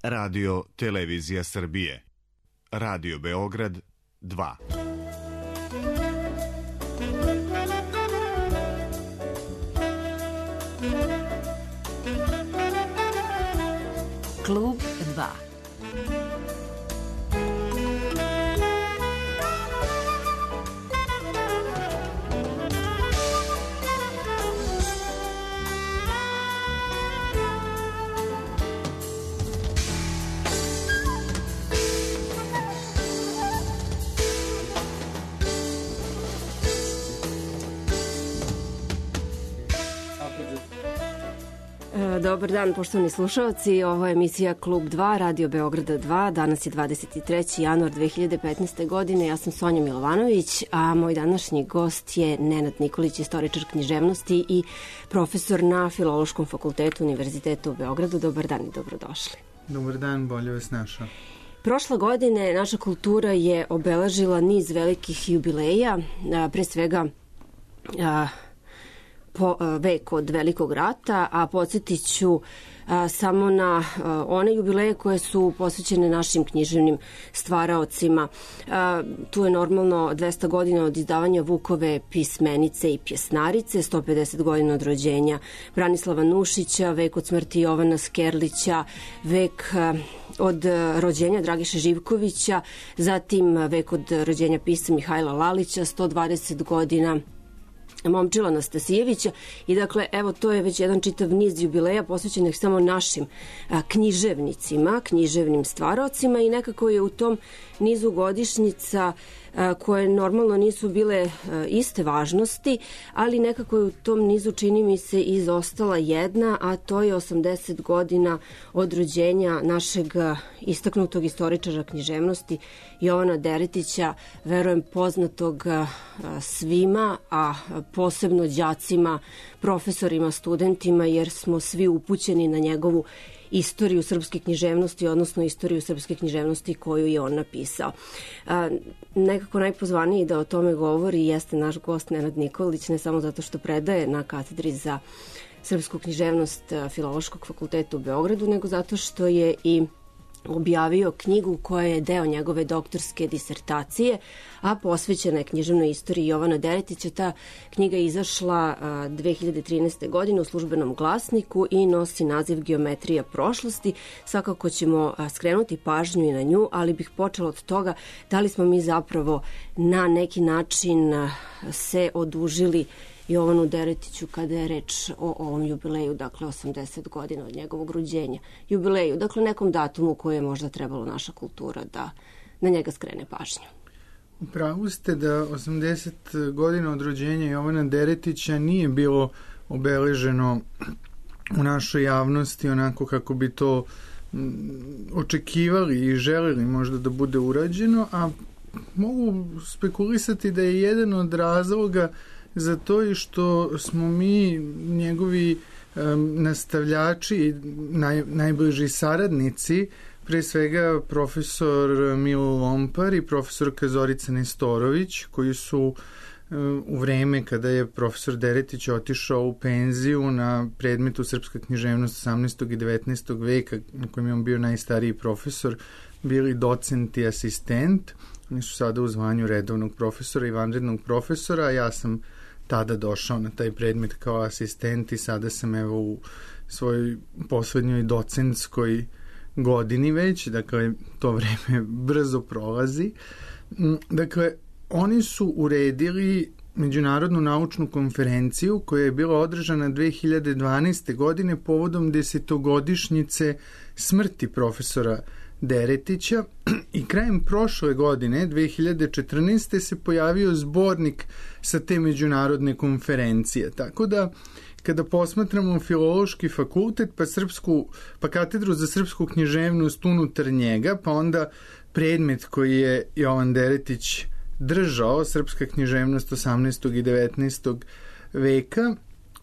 Radio Televizija Srbije. Radio Beograd 2. Klub 2. Dobar dan, poštovani slušalci. Ovo je emisija Klub 2, Radio Beograda 2. Danas je 23. januar 2015. godine. Ja sam Sonja Milovanović, a moj današnji gost je Nenad Nikolić, istoričar književnosti i profesor na Filološkom fakultetu Univerziteta u Beogradu. Dobar dan i dobrodošli. Dobar dan, bolje vas našao. Prošle godine naša kultura je obeležila niz velikih jubileja, pre svega po vek od Velikog rata, a podsjetit ću samo na one jubileje koje su posvećene našim književnim stvaraocima. Tu je normalno 200 godina od izdavanja Vukove pismenice i pjesnarice, 150 godina od rođenja Branislava Nušića, vek od smrti Jovana Skerlića, vek od rođenja Dragiše Živkovića, zatim vek od rođenja pisca Mihajla Lalića, 120 godina Momčila Anastasijevića i dakle, evo, to je već jedan čitav niz jubileja posvećenih samo našim književnicima, književnim stvaraocima i nekako je u tom nizu godišnjica koje normalno nisu bile iste važnosti, ali nekako je u tom nizu, čini mi se, izostala jedna, a to je 80 godina od rođenja našeg istaknutog istoričara književnosti Jovana Deretića, verujem poznatog svima, a posebno đacima, profesorima, studentima, jer smo svi upućeni na njegovu istoriju srpske književnosti, odnosno istoriju srpske književnosti koju je on napisao. Nekako najpozvaniji da o tome govori jeste naš gost Nenad Nikolić, ne samo zato što predaje na katedri za srpsku književnost Filološkog fakulteta u Beogradu, nego zato što je i objavio knjigu koja je deo njegove doktorske disertacije, a posvećena je književnoj istoriji Jovana Deretića. Ta knjiga je izašla 2013. godine u Službenom glasniku i nosi naziv Geometrija prošlosti. Svakako ćemo skrenuti pažnju i na nju, ali bih počela od toga da li smo mi zapravo na neki način se odužili Jovanu Deretiću kada je reč o ovom jubileju, dakle 80 godina od njegovog rođenja. Jubileju, dakle nekom datumu koje je možda trebalo naša kultura da na njega skrene pažnju. Upravo ste da 80 godina od rođenja Jovana Deretića nije bilo obeleženo u našoj javnosti onako kako bi to očekivali i želeli možda da bude urađeno, a mogu spekulisati da je jedan od razloga za to i što smo mi njegovi nastavljači, najbliži saradnici, pre svega profesor Milo Lompar i profesorka Zorica Nestorović, koji su u vreme kada je profesor Deretić otišao u penziju na predmetu srpska književnost 18. i 19. veka, na kojem je on bio najstariji profesor, bili docent i asistent. Oni su sada u zvanju redovnog profesora i vanrednog profesora, a ja sam tada došao na taj predmet kao asistent i sada sam evo u svojoj poslednjoj docentskoj godini već, dakle to vreme brzo prolazi. Dakle, oni su uredili međunarodnu naučnu konferenciju koja je bila održana 2012. godine povodom 10-godišnjice smrti profesora Deretića i krajem prošle godine, 2014. se pojavio zbornik sa te međunarodne konferencije. Tako da, kada posmatramo Filološki fakultet, pa katedru za srpsku književnost unutar njega, pa onda predmet koji je Jovan Deretić držao, srpska književnost 18. i 19. veka,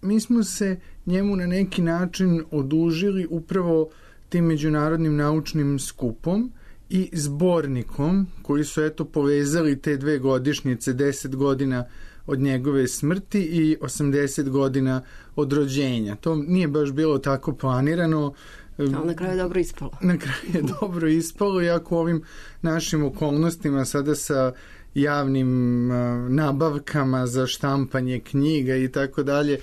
mi smo se njemu na neki način odužili upravo tim međunarodnim naučnim skupom i zbornikom koji su eto povezali te dve godišnjice, 10 godina od njegove smrti i 80 godina od rođenja. To nije baš bilo tako planirano. Ali na kraju je dobro ispalo. Na kraju je dobro ispalo, iako u ovim našim okolnostima sada sa javnim nabavkama za štampanje knjiga i tako dalje,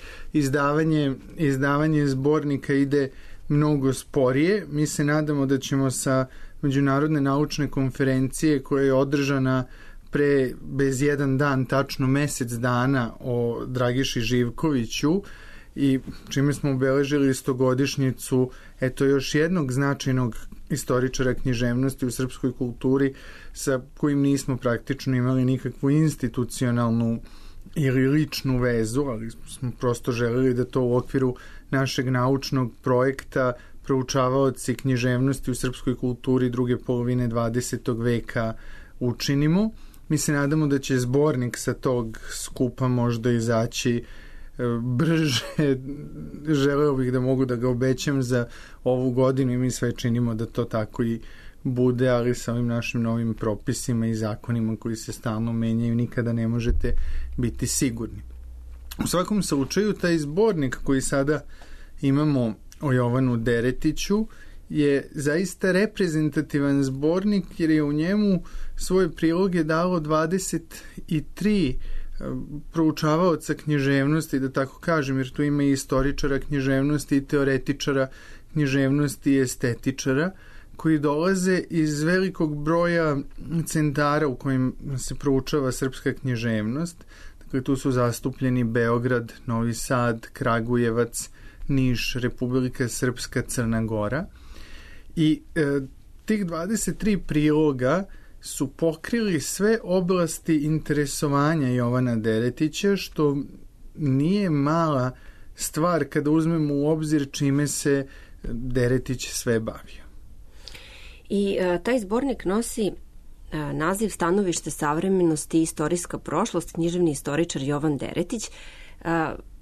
izdavanje zbornika ide mnogo sporije. Mi se nadamo da ćemo sa Međunarodne naučne konferencije koja je održana bez jedan dan, tačno mesec dana, o Dragiši Živkoviću, i čime smo obeležili 100-godišnjicu još jednog značajnog istoričara književnosti u srpskoj kulturi sa kojim nismo praktično imali nikakvu institucionalnu ili ličnu vezu, ali smo prosto želeli da to u okviru našeg naučnog projekta proučavaoci književnosti u srpskoj kulturi druge polovine 20. veka učinimo. Mi se nadamo da će zbornik sa tog skupa možda izaći brže. Želeo bih da mogu da ga obećam za ovu godinu i mi sve činimo da to tako i bude, ali sa ovim našim novim propisima i zakonima koji se stalno menjaju nikada ne možete biti sigurni. U svakom slučaju, taj zbornik koji sada imamo o Jovanu Deretiću je zaista reprezentativan zbornik, jer je u njemu svoje priloge dalo 23 proučavaoca književnosti, da tako kažem, jer tu ima i istoričara književnosti i teoretičara književnosti i estetičara, koji dolaze iz velikog broja centara u kojim se proučava srpska književnost. Dakle, tu su zastupljeni Beograd, Novi Sad, Kragujevac, Niš, Republika Srpska, Crna Gora. I tih 23 priloga su pokrili sve oblasti interesovanja Jovana Deretića, što nije mala stvar kada uzmemo u obzir čime se Deretić sve bavio. I taj zbornik nosi naziv Stanovište savremenosti i istorijska prošlost, književni istoričar Jovan Deretić.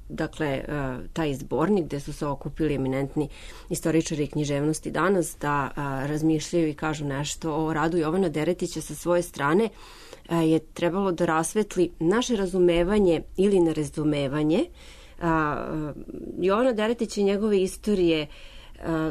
Dakle, taj zbornik gde su se okupili eminentni istoričari književnosti danas da razmišljaju i kažu nešto o radu Jovana Deretića sa svoje strane, je trebalo da rasvetli naše razumevanje ili nerazumevanje Jovana Deretića i njegove istorije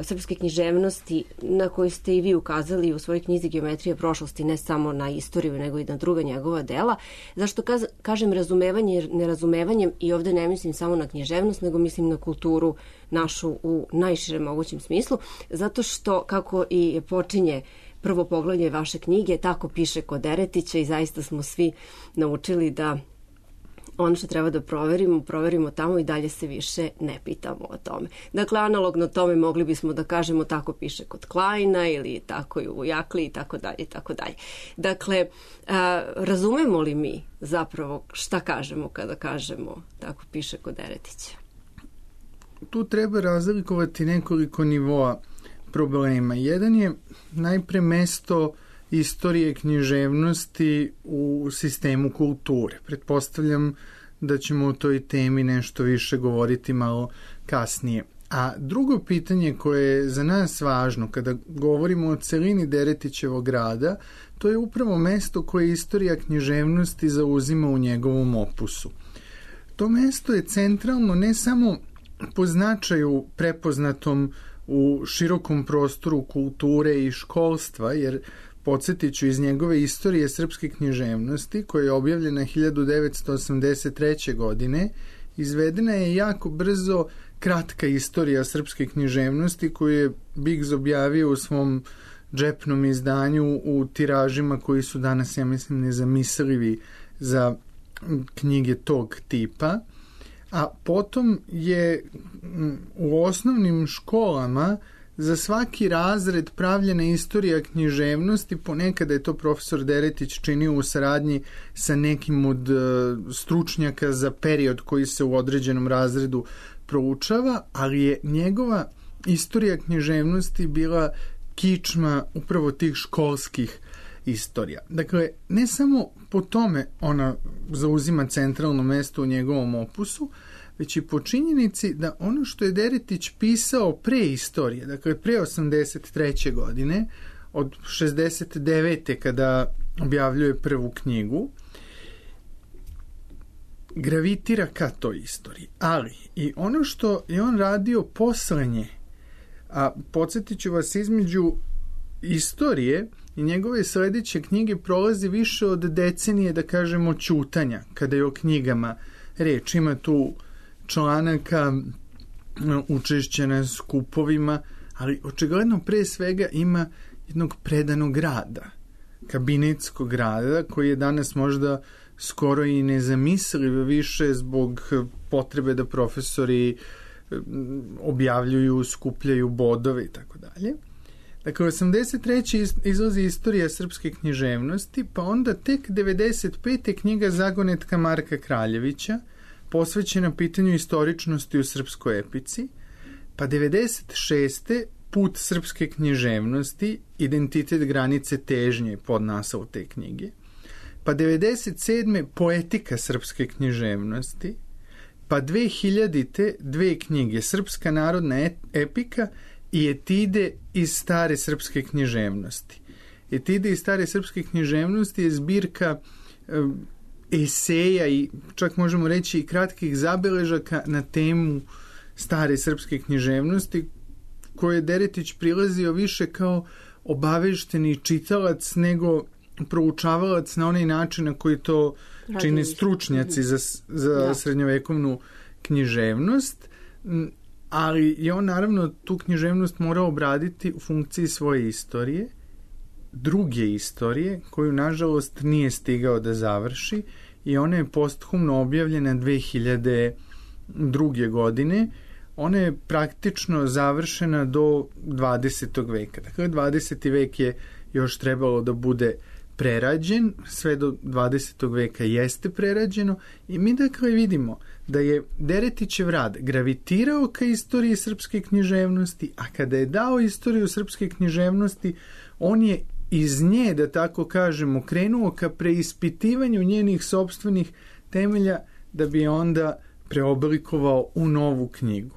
srpske književnosti, na koju ste i vi ukazali u svojoj knjizi Geometrija prošlosti, ne samo na istoriju nego i na druga njegova dela. Zašto kažem razumevanje, jer nerazumevanjem, i ovde ne mislim samo na književnost, nego mislim na kulturu našu u najširem mogućem smislu, zato što, kako i počinje prvo poglavlje vaše knjige, tako piše kod Deretića, i zaista smo svi naučili da ono što treba da proverimo tamo i dalje se više ne pitamo o tome. Dakle, analogno tome mogli bismo da kažemo tako piše kod Kleina ili tako i u Jakli i tako dalje i tako dalje. Dakle, razumemo li mi zapravo šta kažemo kada kažemo tako piše kod Deretića? Tu treba razlikovati nekoliko nivoa problema. Jedan je najpre mesto istorije književnosti u sistemu kulture. Pretpostavljam da ćemo o toj temi nešto više govoriti malo kasnije. A drugo pitanje koje je za nas važno kada govorimo o celini Deretićevog rada, to je upravo mesto koje istorija književnosti zauzima u njegovom opusu. To mesto je centralno ne samo po značaju prepoznatom u širokom prostoru kulture i školstva, jer podsjetiću, iz njegove istorije srpske književnosti, koja je objavljena 1983. godine, izvedena je jako brzo kratka istorija srpske književnosti koju je Biggs objavio u svom džepnom izdanju u tiražima koji su danas, ja mislim, nezamislivi za knjige tog tipa. A potom je u osnovnim školama za svaki razred pravljena istorija književnosti, ponekada je to profesor Deretić činio u saradnji sa nekim od stručnjaka za period koji se u određenom razredu proučava, ali je njegova istorija književnosti bila kičma upravo tih školskih istorija. Dakle, ne samo po tome ona zauzima centralno mesto u njegovom opusu, već i po činjenici da ono što je Deretić pisao pre istorije, dakle pre 83. godine, od 69. kada objavljuje prvu knjigu, gravitira ka toj istoriji. Ali i ono što je on radio posle nje, A podsjetit ću vas, između istorije i njegove sledeće knjige prolazi više od decenije, da kažemo, ćutanja, kada je o knjigama reč. Ima tu članaka, učešća na skupovima, ali očigledno pre svega ima jednog predanog rada, kabinetskog rada, koji je danas možda skoro i nezamisliv više zbog potrebe da profesori objavljuju, skupljaju bodove i tako dalje. Dakle, 83. izlazi Istorija srpske književnosti, pa onda tek 95. knjiga Zagonetka Marka Kraljevića, posvećena pitanju istoričnosti u srpskoj epici, pa 96. Put srpske književnosti, identitet, granice, težnje, podnaslov te knjige, pa 97. Poetika srpske književnosti, pa 2000. dve knjige, Srpska narodna epika i Etide iz stare srpske književnosti. Etide iz stare srpske književnosti je zbirka eseja i čak možemo reći i kratkih zabeležaka na temu stare srpske književnosti, koje je Deretić prilazio više kao obavešteni čitalac nego proučavalac na onaj način na koji to čine stručnjaci za srednjovekovnu književnost, ali je on naravno tu književnost morao obraditi u funkciji svoje istorije, druge istorije, koju nažalost nije stigao da završi, i ona je posthumno objavljena 2002. godine. Ona je praktično završena do 20. veka. Dakle, 20. vek je još trebalo da bude prerađen, sve do 20. veka jeste prerađeno, i mi dakle vidimo da je Deretićev rad gravitirao ka istoriji srpske književnosti, a kada je dao istoriju srpske književnosti, on je iz nje, da tako kažemo, krenuo ka preispitivanju njenih sopstvenih temelja, da bi onda preoblikovao u novu knjigu.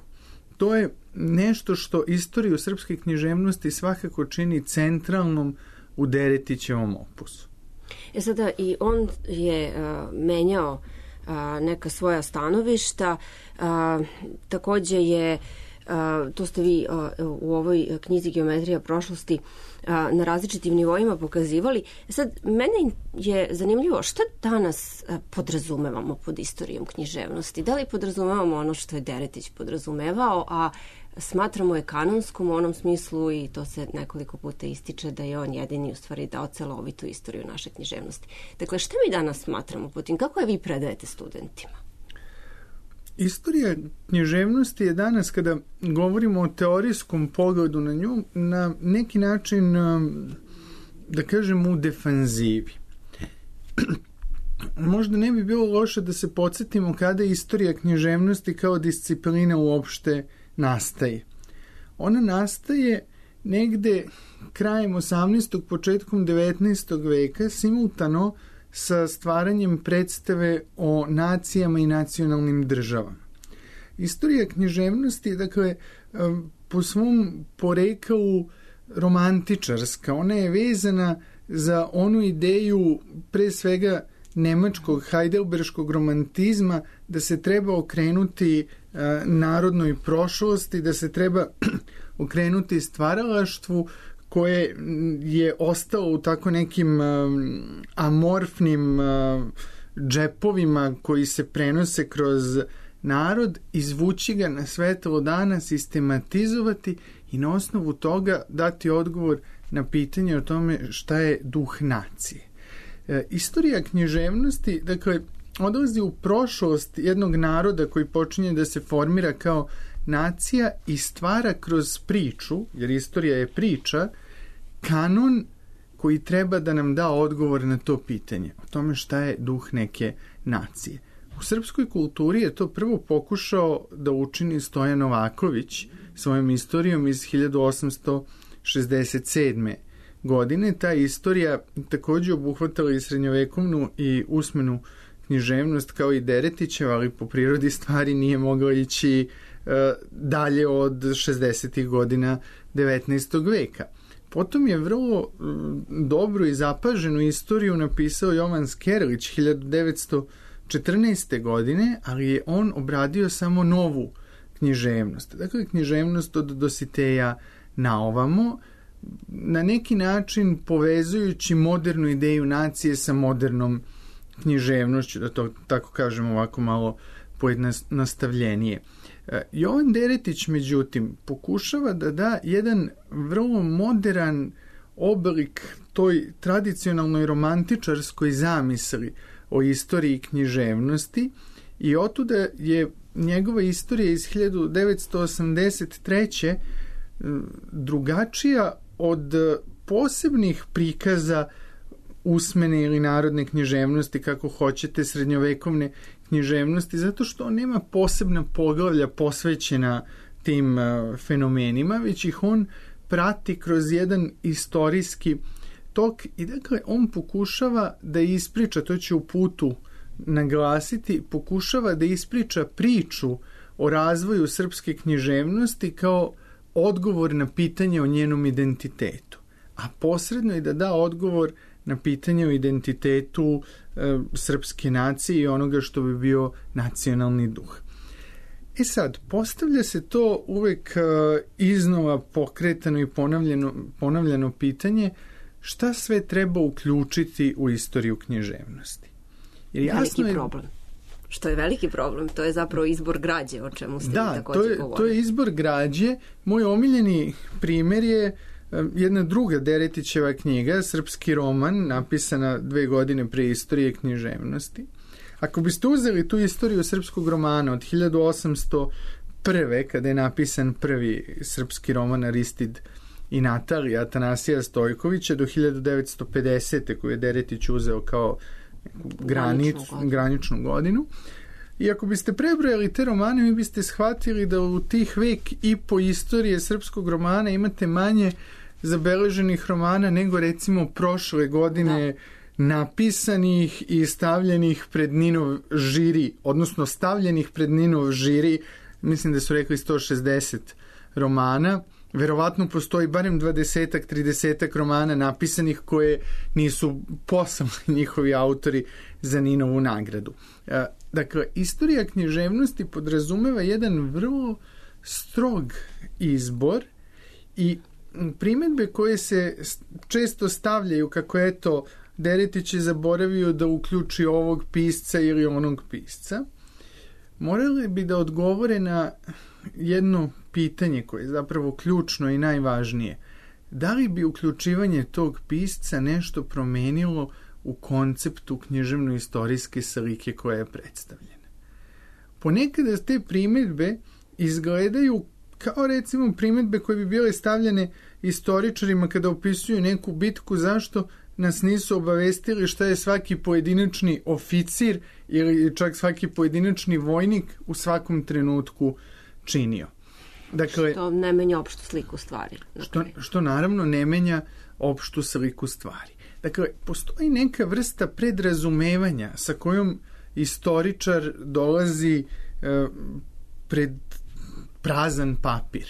To je nešto što istoriju srpske književnosti svakako čini centralnom u Deretićevom opusu. Sada i on je menjao neka svoja stanovišta, takođe je, to ste vi u ovoj knjizi Geometrija prošlosti na različitim nivoima pokazivali. Sad, mene je zanimljivo šta danas podrazumevamo pod istorijom književnosti. Da li podrazumevamo ono što je Deretić podrazumevao, a smatramo je kanonskom u onom smislu, i to se nekoliko puta ističe, da je on jedini u stvari dao celovitu istoriju naše književnosti. Dakle, šta mi danas smatramo pod tim? Kako je vi predajete studentima? Istorija književnosti je danas, kada govorimo o teorijskom pogledu na nju, na neki način, da kažem, u defanzivi. Možda ne bi bilo loše da se podsjetimo kada istorija književnosti kao disciplina uopšte nastaje. Ona nastaje negde krajem 18. početkom 19. veka, simultano sa stvaranjem predstave o nacijama i nacionalnim državama. Istorija književnosti, dakle, po svom poreklu romantičarska, ona je vezana za onu ideju pre svega nemačkog heidelberškog romantizma, da se treba okrenuti narodnoj prošlosti, da se treba okrenuti stvaralaštvu koje je ostalo u tako nekim amorfnim džepovima koji se prenose kroz narod, izvući ga na svetlo dana, sistematizovati i na osnovu toga dati odgovor na pitanje o tome šta je duh nacije. Istorija književnosti, dakle, odlazi u prošlost jednog naroda koji počinje da se formira kao nacija i stvara kroz priču, jer istorija je priča, kanon koji treba da nam da odgovor na to pitanje, o tome šta je duh neke nacije. U srpskoj kulturi je to prvo pokušao da učini Stojan Novaković svojom istorijom iz 1867. godine. Ta istorija takođe obuhvatala i srednjovekovnu i usmenu književnost kao i Deretićeva, ali po prirodi stvari nije mogla ići dalje od 60. godina 19. veka. Potom je vrlo dobru i zapaženu istoriju napisao Jovan Skerlić 1914. godine, ali je on obradio samo novu književnost. Dakle, književnost od Dositeja na ovamo, na neki način povezujući modernu ideju nacije sa modernom književnošću, da to tako kažem ovako malo pojednostavljenije. Jovan Deretić, međutim, pokušava da da jedan vrlo modern oblik toj tradicionalnoj romantičarskoj zamisli o istoriji književnosti i otuda je njegova istorija iz 1983. drugačija od posebnih prikaza usmene ili narodne književnosti, kako hoćete, srednjovekovne književnosti, zato što on nema posebna poglavlja posvećena tim fenomenima, već ih on prati kroz jedan istorijski tok i dakle on pokušava da ispriča, to će u putu naglasiti, pokušava da ispriča priču o razvoju srpske književnosti kao odgovor na pitanje o njenom identitetu, a posredno i da da odgovor na pitanje o identitetu srpske nacije i onoga što bi bio nacionalni duh. E sad, postavlja se to uvek iznova pokretano i ponavljano pitanje šta sve treba uključiti u istoriju književnosti. Jer jasno veliki problem. Što je veliki problem, to je zapravo izbor građe, o čemu ste također govorili. To je izbor građe. Moj omiljeni primjer je jedna druga Deretićeva knjiga, srpski roman, napisana 2 godine pre istorije književnosti. Ako biste uzeli tu istoriju srpskog romana od 1801. kada je napisan prvi srpski roman Aristid i Natalija Atanasija Stojkovića do 1950. koju je Deretić uzeo kao graničnu godinu. I ako biste prebrojali te romane, mi biste shvatili da u tih vek i po istorije srpskog romana imate manje zabeleženih romana nego recimo prošle godine napisanih i stavljenih pred Ninov žiri, odnosno stavljenih pred Ninov žiri, mislim da su rekli 160 romana. Verovatno postoji barem 20-ak, 30-ak romana napisanih koje nisu poslali njihovi autori za Ninovu nagradu. Dakle, istorija književnosti podrazumeva jedan vrlo strog izbor i primjedbe koje se često stavljaju kako eto Deretić je zaboravio da uključi ovog pisca ili onog pisca, morali bi da odgovore na jedno pitanje koje je zapravo ključno i najvažnije. Da li bi uključivanje tog pisca nešto promenilo u konceptu književno-istorijske slike koja je predstavljena? Ponekada te primjedbe izgledaju kao recimo primjedbe koje bi bile stavljene istoričarima kada opisuju neku bitku, zašto nas nisu obavestili šta je svaki pojedinačni oficir ili čak svaki pojedinačni vojnik u svakom trenutku činio. Dakle, što ne menja opštu sliku stvari. Što naravno ne menja opštu sliku stvari. Dakle, postoji neka vrsta predrazumevanja sa kojom istoričar dolazi pred prazan papir.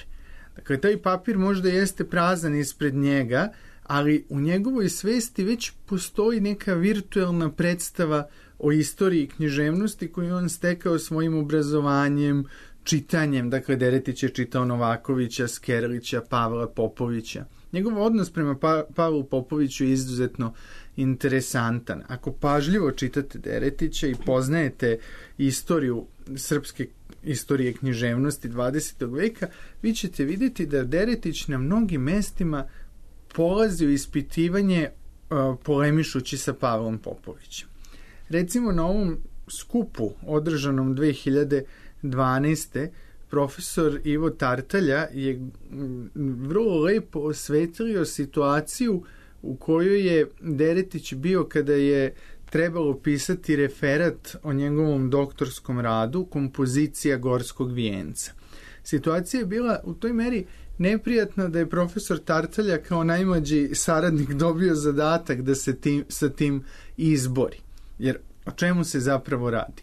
Dakle, taj papir možda jeste prazan ispred njega, ali u njegovoj svesti već postoji neka virtuelna predstava o istoriji književnosti koju on stekao svojim obrazovanjem, čitanjem. Dakle, Deretić je čitao Novakovića, Skerlića, Pavla Popovića. Njegov odnos prema Pavlu Popoviću je izuzetno interesantan. Ako pažljivo čitate Deretića i poznajete istoriju srpske istorije književnosti 20. veka, vi ćete vidjeti da Deretić na mnogim mestima polazi u ispitivanje polemišući sa Pavlom Popovićem. Recimo na ovom skupu održanom 2012. profesor Ivo Tartalja je vrlo lepo osvetlio situaciju u kojoj je Deretić bio kada je trebalo pisati referat o njegovom doktorskom radu Kompozicija Gorskog vijenca. Situacija je bila u toj meri neprijatna da je profesor Tartalja kao najmlađi saradnik dobio zadatak da se sa tim izbori. Jer o čemu se zapravo radi?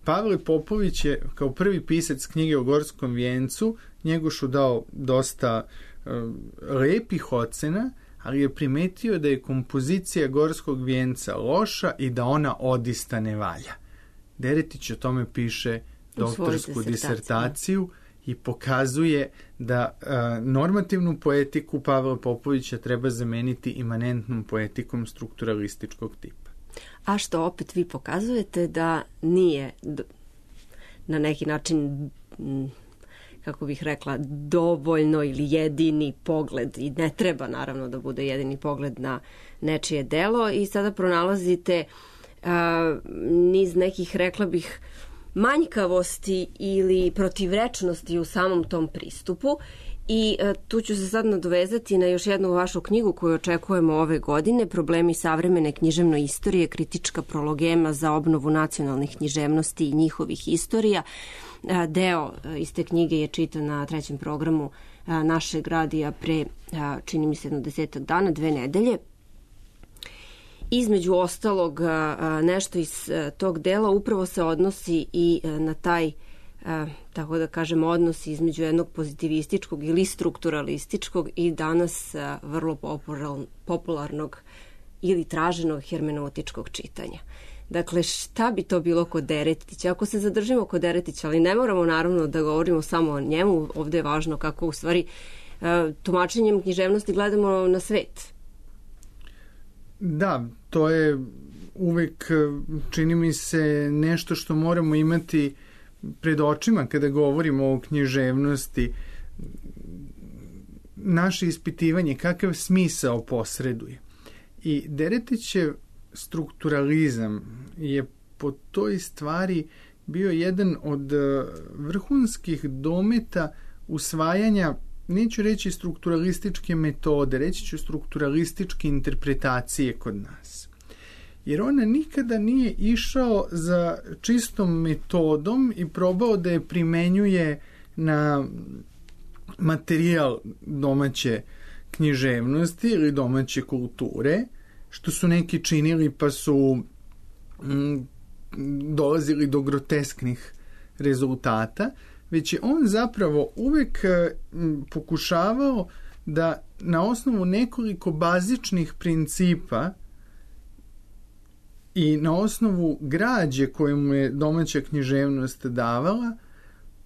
Pavle Popović je kao prvi pisac knjige o Gorskom vijencu Njegošu dao dosta lepih ocena, ali je primetio da je kompozicija Gorskog vijenca loša i da ona odista ne valja. Deretić o tome piše doktorsku disertaciju i pokazuje da normativnu poetiku Pavla Popovića treba zameniti imanentnom poetikom strukturalističkog tipa. A što opet vi pokazujete da nije na neki način, kako bih rekla, dovoljno ili jedini pogled, i ne treba naravno da bude jedini pogled na nečije delo, i sada pronalazite niz nekih, rekla bih, manjkavosti ili protivrečnosti u samom tom pristupu. I tu ću se sad nadovezati na još jednu vašu knjigu koju očekujemo ove godine, Problemi savremene književne istorije, kritička prologema za obnovu nacionalnih književnosti i njihovih istorija. Deo iz te knjige je čitan na 3. programu našeg radija pre, čini mi se, 10 dana, 2 nedelje. Između ostalog, nešto iz tog dela upravo se odnosi i na taj, tako da kažem, odnos između jednog pozitivističkog ili strukturalističkog i danas vrlo popularnog ili traženog hermeneutičkog čitanja. Dakle, šta bi to bilo kod Deretića? Ako se zadržimo kod Deretića, ali ne moramo naravno da govorimo samo o njemu, ovde je važno kako u stvari tumačenjem književnosti gledamo na svet. Da, to je uvek, čini mi se, nešto što moramo imati pred očima kada govorimo o književnosti. Naše ispitivanje, kakav smisao posreduje. I Deretićev strukturalizam je po toj stvari bio jedan od vrhunskih dometa usvajanja, neću reći strukturalističke metode, reći ću strukturalističke interpretacije kod nas. Jer on nikada nije išao za čistom metodom i probao da je primenjuje na materijal domaće književnosti ili domaće kulture, što su neki činili pa su dolazili do grotesknih rezultata, već je on zapravo uvek pokušavao da na osnovu nekoliko bazičnih principa i na osnovu građe koju mu je domaća književnost davala,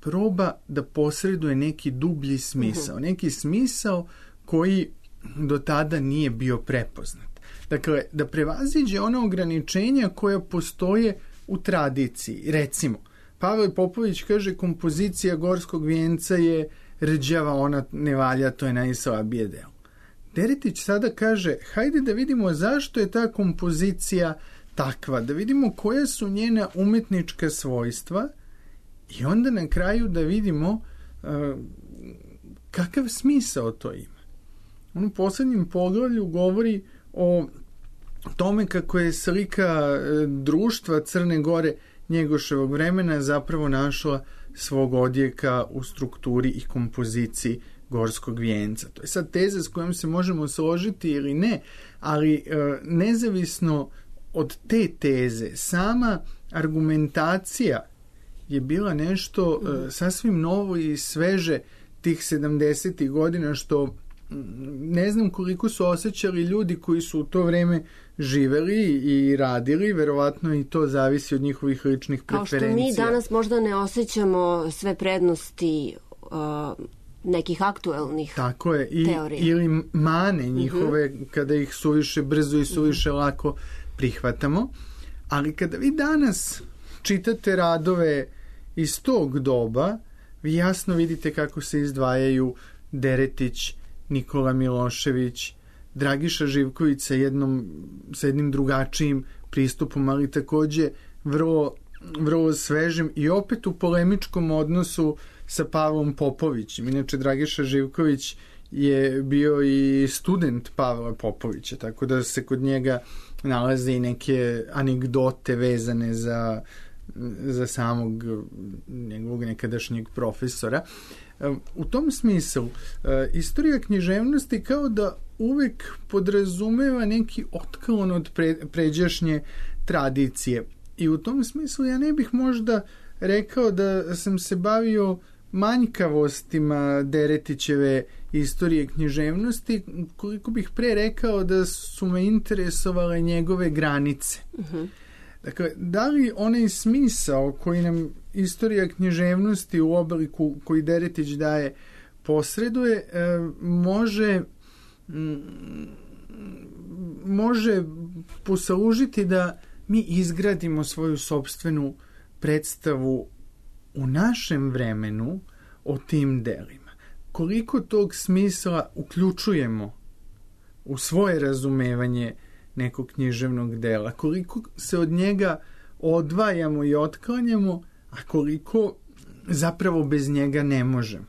proba da posreduje neki dublji smisao. Neki smisao koji do tada nije bio prepoznat. Dakle, da prevaziđe ona ograničenja koja postoje u tradiciji. Recimo, Pavle Popović kaže kompozicija Gorskog vijenca je rđava, ona ne valja, to je najslabije delo. Deretić sada kaže, hajde da vidimo zašto je ta kompozicija takva, da vidimo koja su njena umetnička svojstva i onda na kraju da vidimo kakav smisao to ima. On u poslednjem poglavlju govori o tome kako je slika društva Crne Gore Njegoševog vremena zapravo našla svog odjeka u strukturi i kompoziciji Gorskog vijenca. To je sad teza s kojom se možemo složiti ili ne, ali nezavisno od te teze, sama argumentacija je bila nešto sasvim novo i sveže tih 70. godina, što ne znam koliko su osjećali ljudi koji su u to vreme živeli i radili, verovatno i to zavisi od njihovih ličnih preferencija. Kao što mi danas možda ne osjećamo sve prednosti nekih aktuelnih tako je, teorija. Ili mane njihove, kada ih suviše brzo i suviše lako prihvatamo. Ali kada vi danas čitate radove iz tog doba, vi jasno vidite kako se izdvajaju Deretić, Nikola Milošević, Dragiša Živković sa jednim drugačijim pristupom, ali takođe vrlo svežim i opet u polemičkom odnosu sa Pavlom Popovićem. Inače, Dragiša Živković je bio i student Pavla Popovića, tako da se kod njega nalaze i neke anegdote vezane za samog njegovog nekadašnjeg profesora. U tom smislu, istorija književnosti kao da uvek podrazumeva neki otklon od pređašnje tradicije. I u tom smislu ja ne bih možda rekao da sam se bavio manjkavostima Deretićeve istorije književnosti, koliko bih pre rekao da su me interesovale njegove granice. Dakle, da li onaj smisao koji nam istorija književnosti u obliku koji Deretić daje posreduje, može poslužiti da mi izgradimo svoju sopstvenu predstavu u našem vremenu o tim delima. Koliko tog smisla uključujemo u svoje razumevanje nekog književnog dela, koliko se od njega odvajamo i otklanjamo, a koliko zapravo bez njega ne možemo.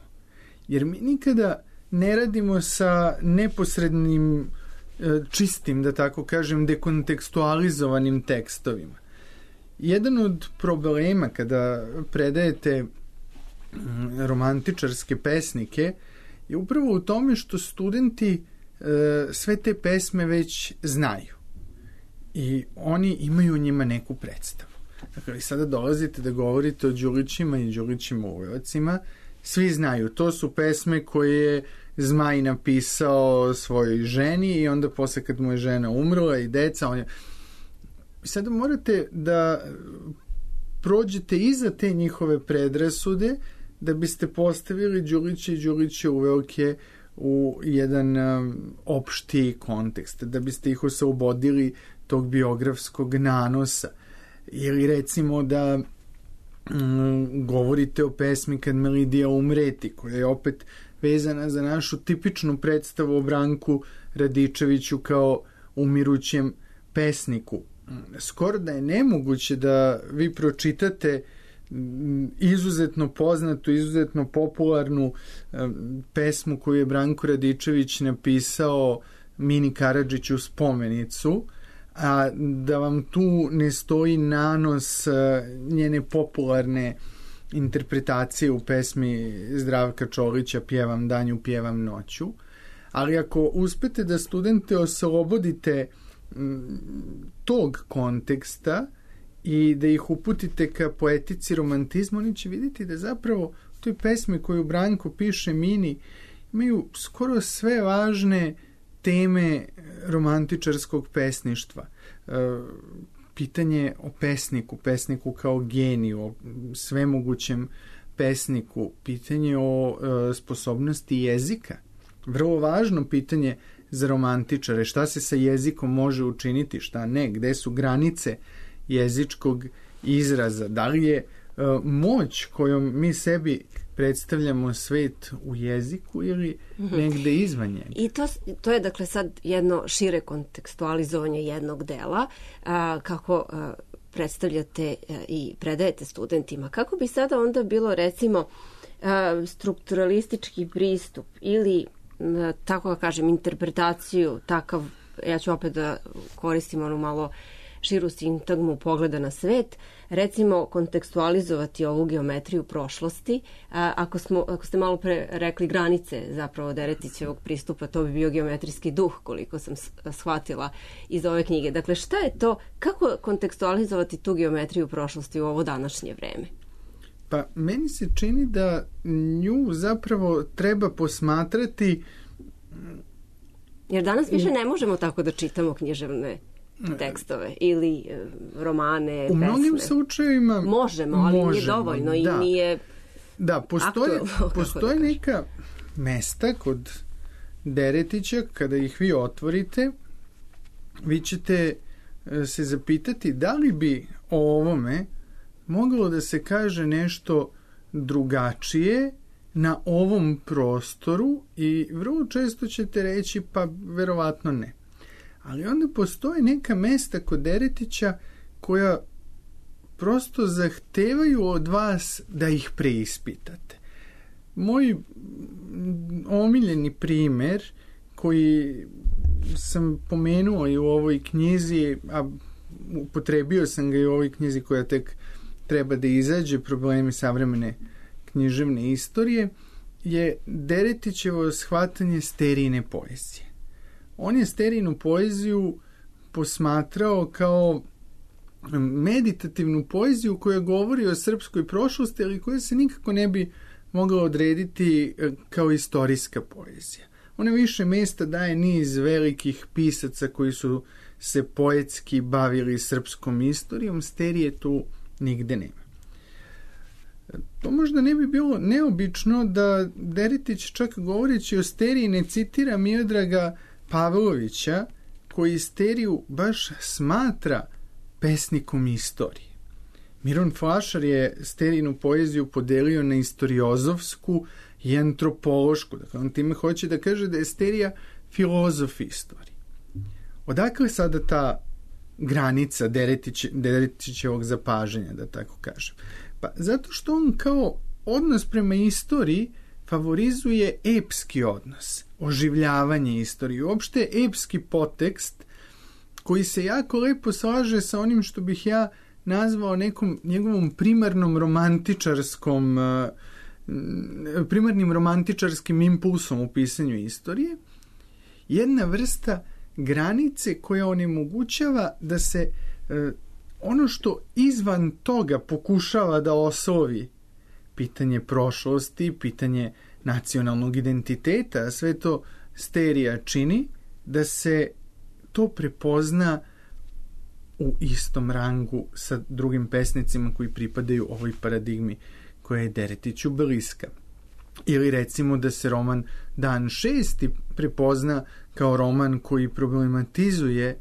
Jer mi nikada ne radimo sa neposrednim, čistim, da tako kažem, dekontekstualizovanim tekstovima. Jedan od problema kada predajete romantičarske pesnike je upravo u tome što studenti sve te pesme već znaju i oni imaju o njima neku predstavu. Dakle, sada dolazite da govorite o Đurićima i Đurićim uvojocima, svi znaju, to su pesme koje je Zmaj napisao svojoj ženi i onda posle kad mu je žena umrla i deca, sada morate da prođete iza te njihove predrasude da biste postavili Đurića i Đuriće uvojke u jedan opšti kontekst, da biste ih oslobodili tog biografskog nanosa. Ili recimo da govorite o pesmi Kad me Lidija umreti, koja je opet vezana za našu tipičnu predstavu o Branku Radičeviću kao umirućem pesniku. Skoro da je nemoguće da vi pročitate izuzetno poznatu, izuzetno popularnu pesmu koju je Branko Radičević napisao Mini Karadžiću spomenicu, a da vam tu ne stoji nanos njene popularne interpretacije u pesmi Zdravka Čolića Pjevam danju, pjevam noću. Ali ako uspete da studente oslobodite tog konteksta i da ih uputite ka poetici romantizma, oni će vidjeti da zapravo u toj pesmi koju Branko piše Mini imaju skoro sve važne teme romantičarskog pesništva. Pitanje o pesniku kao geniju, o svemogućem pesniku, pitanje o sposobnosti jezika. Vrlo važno pitanje za romantičare, šta se sa jezikom može učiniti, šta ne, gde su granice jezičkog izraza, da li je moć kojom mi sebi predstavljamo svet u jeziku ili negde izvan njega. I to je dakle sad jedno šire kontekstualizovanje jednog dela, kako predstavljate i predajete studentima. Kako bi sada onda bilo recimo strukturalistički pristup ili tako da kažem interpretaciju, takav, ja ću opet da koristim onu malo širu sintagmu pogleda na svet, recimo kontekstualizovati ovu geometriju prošlosti. Ako ste malo pre rekli granice zapravo Deretićevog pristupa, to bi bio geometrijski duh, koliko sam shvatila iz ove knjige. Dakle, šta je to, kako kontekstualizovati tu geometriju prošlosti u ovo današnje vreme? Pa, meni se čini da nju zapravo treba posmatrati... Jer danas više ne možemo tako da čitamo književne tekstove ili romane, pesme. U mnogim slučajevima možemo, ali nije dovoljno i nije postoje neka mesta kod Deretića, kada ih vi otvorite, vi ćete se zapitati da li bi o ovome moglo da se kaže nešto drugačije na ovom prostoru i vrlo često ćete reći pa verovatno ne. Ali onda postoje neka mesta kod Deretića koja prosto zahtevaju od vas da ih preispitate. Moj omiljeni primer koji sam pomenuo i u ovoj knjizi, a upotrebio sam ga i u ovoj knjizi koja tek treba da izađe, Problemi savremene književne istorije, je Deretićevo shvatanje sterijne poezije. On je sterijnu poeziju posmatrao kao meditativnu poeziju koja govori o srpskoj prošlosti, ali koja se nikako ne bi mogla odrediti kao istorijska poezija. Ona više mesta daje niz velikih pisaca koji su se poetski bavili srpskom istorijom, Sterije tu nigde nema. To možda ne bi bilo neobično da Deretić, čak govoreći o Steriji, ne citira Miodraga Pavlovića, koji Steriju baš smatra pesnikom istorije. Miron Flašar je Sterijinu poeziju podelio na istoriozofsku i antropološku. Dakle, on time hoće da kaže da je Sterija filozof istorije. Odakle sada ta granica Deretićevog zapažanja, da tako kažem? Pa zato što on kao odnos prema istoriji favorizuje epski odnos, oživljavanje istorije, uopšte epski potekst koji se jako lepo slaže sa onim što bih ja nazvao nekom njegovom primarnim romantičarskim impulsom u pisanju istorije, jedna vrsta granice koja onemogućava da se ono što izvan toga pokušava da oslovi pitanje prošlosti, pitanje nacionalnog identiteta, sve to Sterija čini, da se to prepozna u istom rangu sa drugim pesnicima koji pripadaju ovoj paradigmi koja je Deretiću bliska. Ili recimo da se roman Dan 6. prepozna kao roman koji problematizuje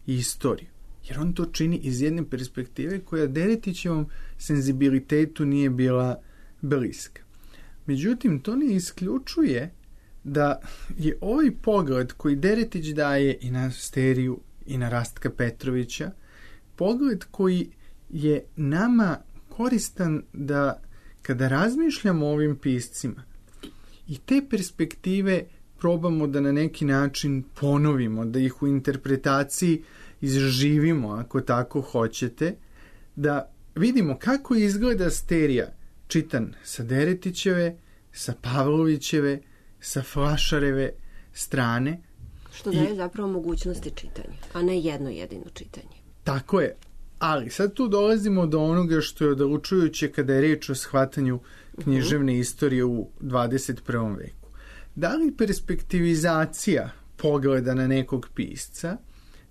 istoriju. Jer on to čini iz jedne perspektive koja Deretićevom senzibilitetu nije bila bliska. Međutim, to ne isključuje da je ovaj pogled koji Deretić daje i na Steriju i na Rastka Petrovića, pogled koji je nama koristan da kada razmišljamo o ovim piscima i te perspektive probamo da na neki način ponovimo, da ih u interpretaciji izživimo, ako tako hoćete, da vidimo kako izgleda Sterija čitan sa Deretićeve, sa Pavlovićeve, sa Flašareve strane. Što daje zapravo mogućnosti čitanja, a ne jedno jedino čitanje. Tako je. Ali sad tu dolazimo do onoga što je odlučujuće kada je reč o shvatanju književne istorije u 21. veku. Da li perspektivizacija pogleda na nekog pisca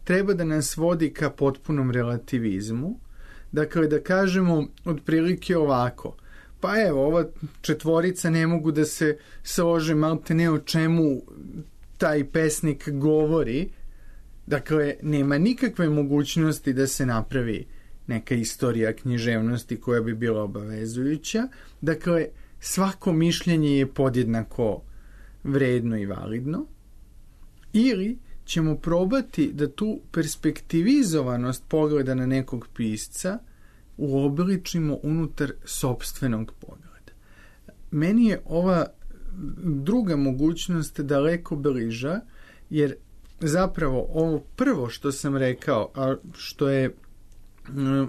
treba da nas vodi ka potpunom relativizmu? Dakle, da kažemo otprilike ovako, pa evo, ova četvorica ne mogu da se slože malte ne o čemu taj pesnik govori. Dakle, nema nikakve mogućnosti da se napravi neka istorija književnosti koja bi bila obavezujuća. Dakle, svako mišljenje je podjednako vredno i validno. Ili ćemo probati da tu perspektivizovanost pogleda na nekog pisca uobličimo unutar sopstvenog pogleda. Meni je ova druga mogućnost daleko bliža, jer zapravo ovo prvo što sam rekao, a što je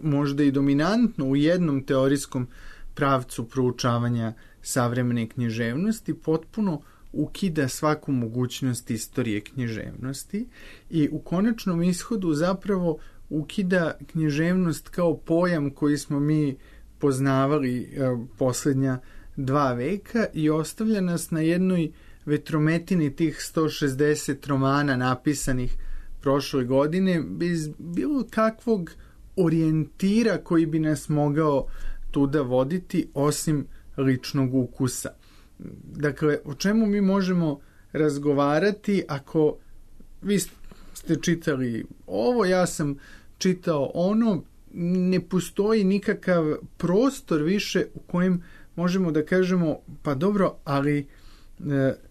možda i dominantno u jednom teorijskom pravcu proučavanja savremene književnosti, potpuno ukida svaku mogućnost istorije književnosti i u konačnom ishodu zapravo ukida književnost kao pojam koji smo mi poznavali posljednja 2 veka i ostavlja nas na jednoj vetrometini tih 160 romana napisanih prošle godine bez bilo kakvog orijentira koji bi nas mogao tuda voditi osim ličnog ukusa. Dakle, o čemu mi možemo razgovarati ako vi ste čitali ovo, ja sam čitao ono, ne postoji nikakav prostor više u kojem možemo da kažemo, pa dobro, ali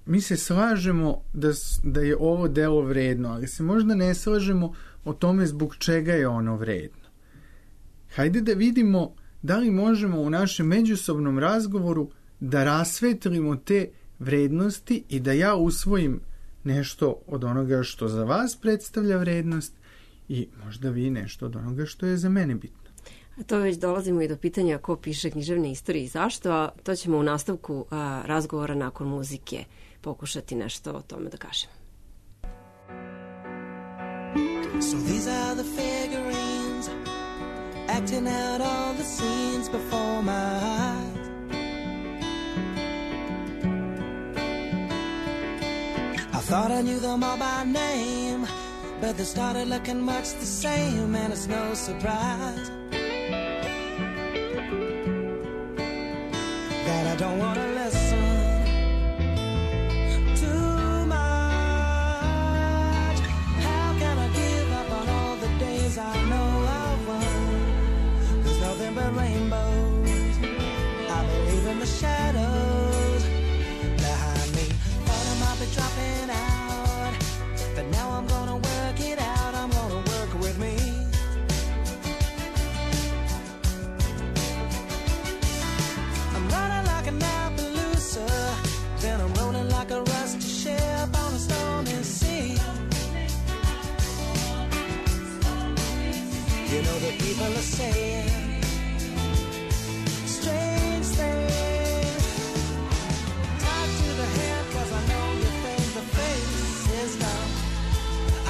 mi se slažemo da je ovo delo vredno, ali se možda ne slažemo o tome zbog čega je ono vredno. Hajde da vidimo da li možemo u našem međusobnom razgovoru da rasvetlimo te vrednosti i da ja usvojim nešto od onoga što za vas predstavlja vrednost i možda vi nešto od onoga što je za mene bitno. A to već dolazimo i do pitanja ko piše književne istorije i zašto, a to ćemo u nastavku razgovora nakon muzike pokušati nešto o tome da kažemo. So these are the figurines acting out all the scenes before my eyes. Thought I knew them all by name, but they started looking much the same, and it's no surprise that I don't want to listen too much. How can I give up on all the days I know I've won? There's nothing but rainbows. I believe in the shadows behind me. Thought I might be dropping out, but now I'm gonna work it out. I'm gonna work with me. I'm running like an Appaloosa, then I'm rolling like a rusty ship on a stormy sea. You know the people are saying strange things. Tied to the head, cause I know you think the face is dumb.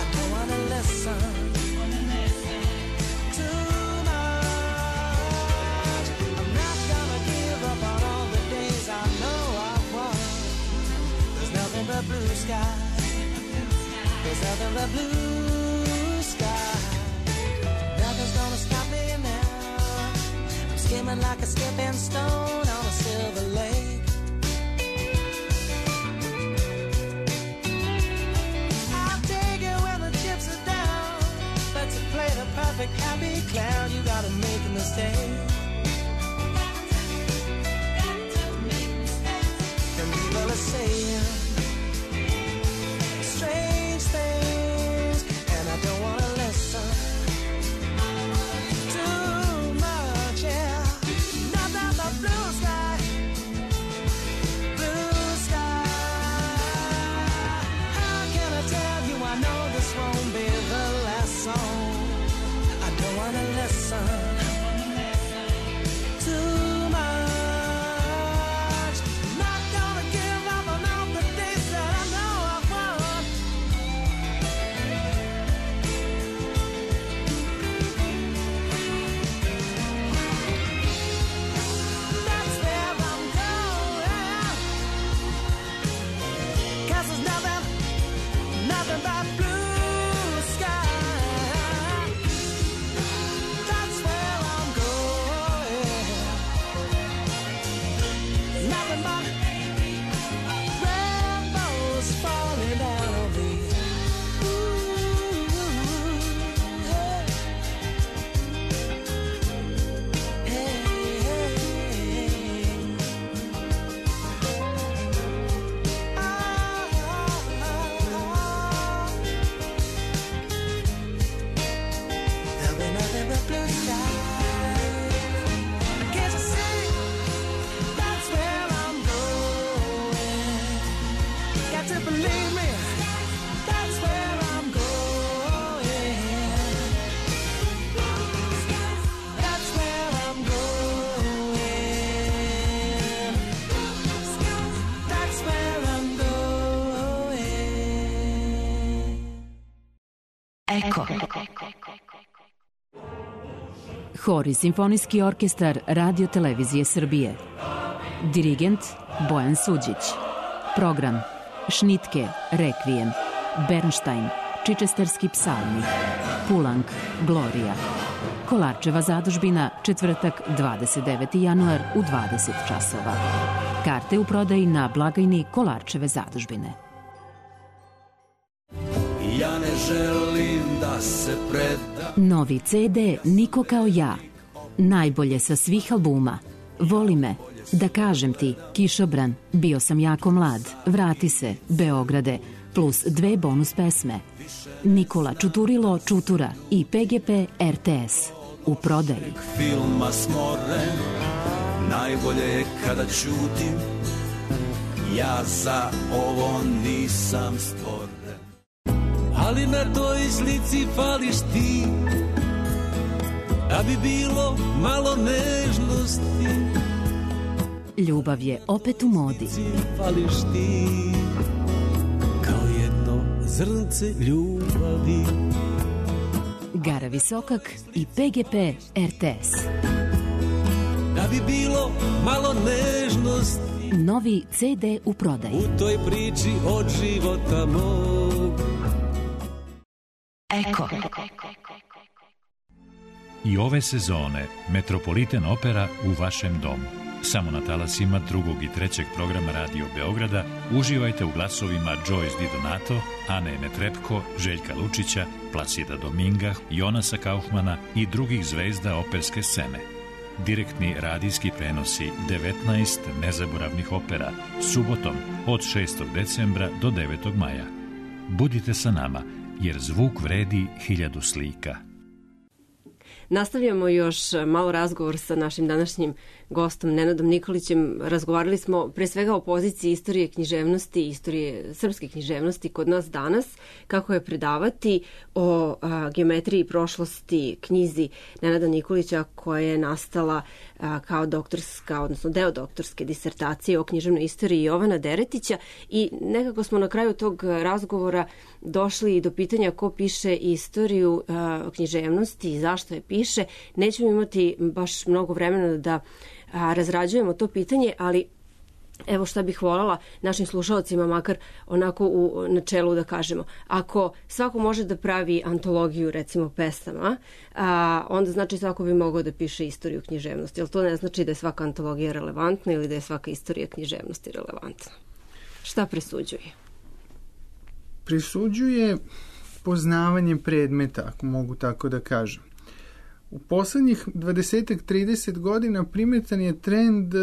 I don't wanna listen too much. I'm not gonna give up on all the days I know I've won. There's nothing but blue sky. There's nothing but blue sky. Nothing's gonna stop me now. I'm skimming like a skipping stone on a silver lake. I'll take it when the chips are down, but to play the perfect happy clown, you gotta make a mistake. And people are saying strange things, and I don't wanna listen too much, yeah. Nothing but blue sky, blue sky. How can I tell you I know this won't be the last song? I don't wanna listen too much. Not gonna give up on all the days that I know I've won. That's where I'm going, 'cause there's nothing but blue sky. That's where I'm going. Nothing but rainbows falling down on me. Ooh, hey, hey, hey. There'll be nothing but blue sky. Can't you see? That's where I'm going. Got to believe me. That's where I'm going. That's where I'm going. That's where I'm going. Eko. Hor i simfonijski orkestar Radio Televizije Srbije. Dirigent Bojan Suđić. Program Šnitke, Rekvijem, Bernštajn, Čičesterski psalmi, Pulang, Glorija. Kolarčeva zadužbina, četvrtak, 29. januar u 20 časova. Karte u prodaji na blagajni Kolarčeve zadužbine. Ja ne želim da se predam. Novi CD Niko kao ja. Najbolje sa svih albuma. Voli me, Da kažem ti, Kišobran, Bio sam jako mlad, Vrati se, Beograde, plus 2 bonus pesme. Nikola Čuturilo Čutura i PGP RTS. U prodaji. Filma smoren, najbolje je kada ćutim. Ja za ovo nisam stvoren. Ali na toj slici fališ ti, da bi bilo malo nežnosti. Ljubav je opet u modi. Fališ ti, kao jedno zrnce ljubavi. Gara Visokak i PGP RTS. Da bi bilo malo nežnosti. Novi CD u prodaji. U toj priči od života mog. Eko. I ove sezone Metropolitan Opera u vašem domu. Samo na talasima 2. i 3. programa Radio Beograda uživajte u glasovima Joyce Di Donato, Ane Netrebko, Željka Lučića, Placida Dominga, Jonasa Kaufmana i drugih zvezda operske scene. Direktni radijski prenosi 19 nezaboravnih opera subotom od 6. decembra do 9. maja. Budite sa nama, jer zvuk vredi 1000 slika. Nastavljamo još malo razgovor sa našim današnjim gostom Nenadom Nikolićem. Razgovarali smo pre svega o poziciji istorije književnosti, istorije srpske književnosti kod nas danas, kako je predavati, o geometriji prošlosti, knjizi Nenada Nikolića koja je nastala kao doktorska, odnosno deo doktorske disertacije o književnoj istoriji Jovana Deretića, i nekako smo na kraju tog razgovora došli i do pitanja ko piše istoriju književnosti i zašto je piše. Nećemo imati baš mnogo vremena da razrađujemo to pitanje, ali evo šta bih voljela našim slušalcima makar onako u načelu da kažemo. Ako svako može da pravi antologiju recimo pesama, onda znači svako bi mogao da piše istoriju književnosti. Ali to ne znači da je svaka antologija relevantna ili da je svaka istorija književnosti relevantna. Šta presuđuje? Presuđuje poznavanje predmeta, ako mogu tako da kažem. U poslednjih 20-30 godina primetan je trend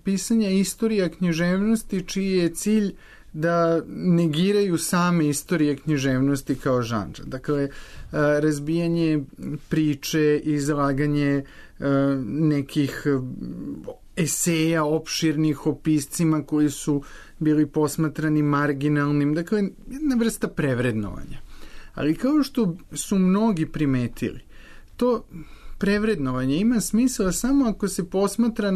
pisanja istorija književnosti čiji je cilj da negiraju same istorije književnosti kao žanra. Dakle, razbijanje priče, izlaganje nekih eseja opširnih o piscima koji su bili posmatrani marginalnim. Dakle, jedna vrsta prevrednovanja. Ali kao što su mnogi primetili, to prevrednovanje ima smisla samo ako se posmatra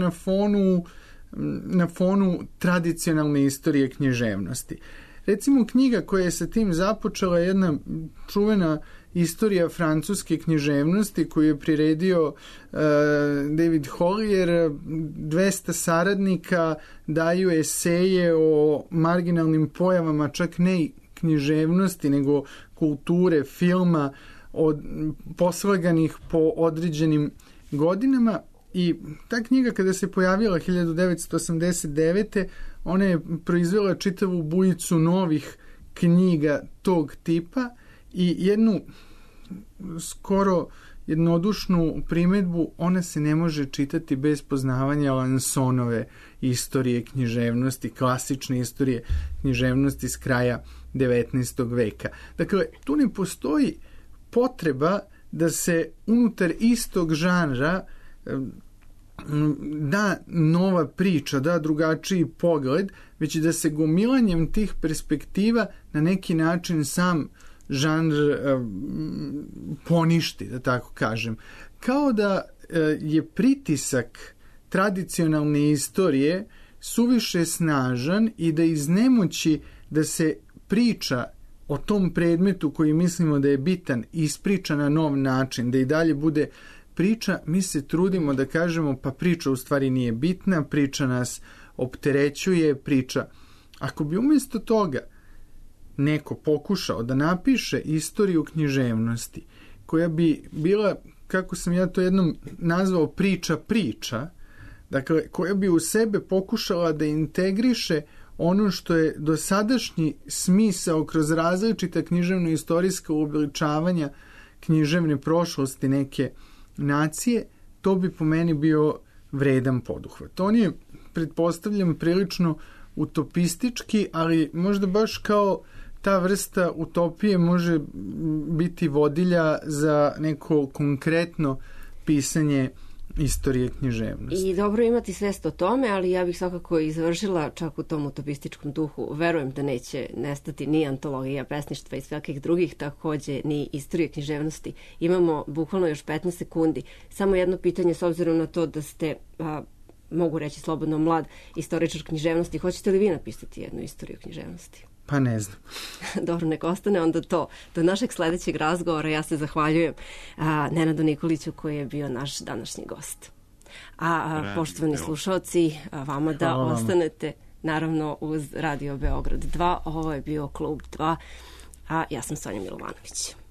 na fonu tradicionalne istorije književnosti. Recimo, knjiga koja je sa tim započela je jedna čuvena istorija francuske književnosti koju je priredio David Hollier. 200 saradnika daju eseje o marginalnim pojavama, čak ne književnosti, nego kulture, filma, poslaganih po određenim godinama, i ta knjiga kada se pojavila 1989. ona je proizvela čitavu bujicu novih knjiga tog tipa i jednu skoro jednodušnu primedbu: ona se ne može čitati bez poznavanja Lansonove istorije književnosti, klasične istorije književnosti s kraja 19. veka. Dakle, tu ne postoji potreba da se unutar istog žanra da nova priča, da drugačiji pogled, već da se gomilanjem tih perspektiva na neki način sam žanr poništi, da tako kažem. Kao da je pritisak tradicionalne istorije suviše snažan i da iz nemoći da se priča o tom predmetu koji mislimo da je bitan ispriča na nov način, da i dalje bude priča, mi se trudimo da kažemo pa priča u stvari nije bitna, priča nas opterećuje, priča. Ako bi umjesto toga neko pokušao da napiše istoriju književnosti koja bi bila, kako sam ja to jednom nazvao, priča, dakle koja bi u sebe pokušala da integriše ono što je dosadašnji smisao kroz različita književno-istorijska uobličavanja književne prošlosti neke nacije, to bi po meni bio vredan poduhvat. On je, pretpostavljam, prilično utopistički, ali možda baš kao ta vrsta utopije može biti vodilja za neko konkretno pisanje istorije književnosti. I dobro imati svest o tome, ali ja bih svakako izvršila čak u tom utopističkom duhu. Verujem da neće nestati ni antologija pesništva i svakih drugih, takođe ni istorije književnosti. Imamo bukvalno još 15 sekundi. Samo jedno pitanje, s obzirom na to da ste, mogu reći slobodno, mlad istoričar književnosti. Hoćete li vi napisati jednu istoriju književnosti? Pa ne znam. Dobro, nek ostane onda to. Do našeg sledećeg razgovora ja se zahvaljujem Nenadu Nikoliću koji je bio naš današnji gost. A poštovani slušalci, vama da ostanete naravno uz Radio Beograd 2. Ovo je bio Klub 2, a ja sam Sonja Milovanović.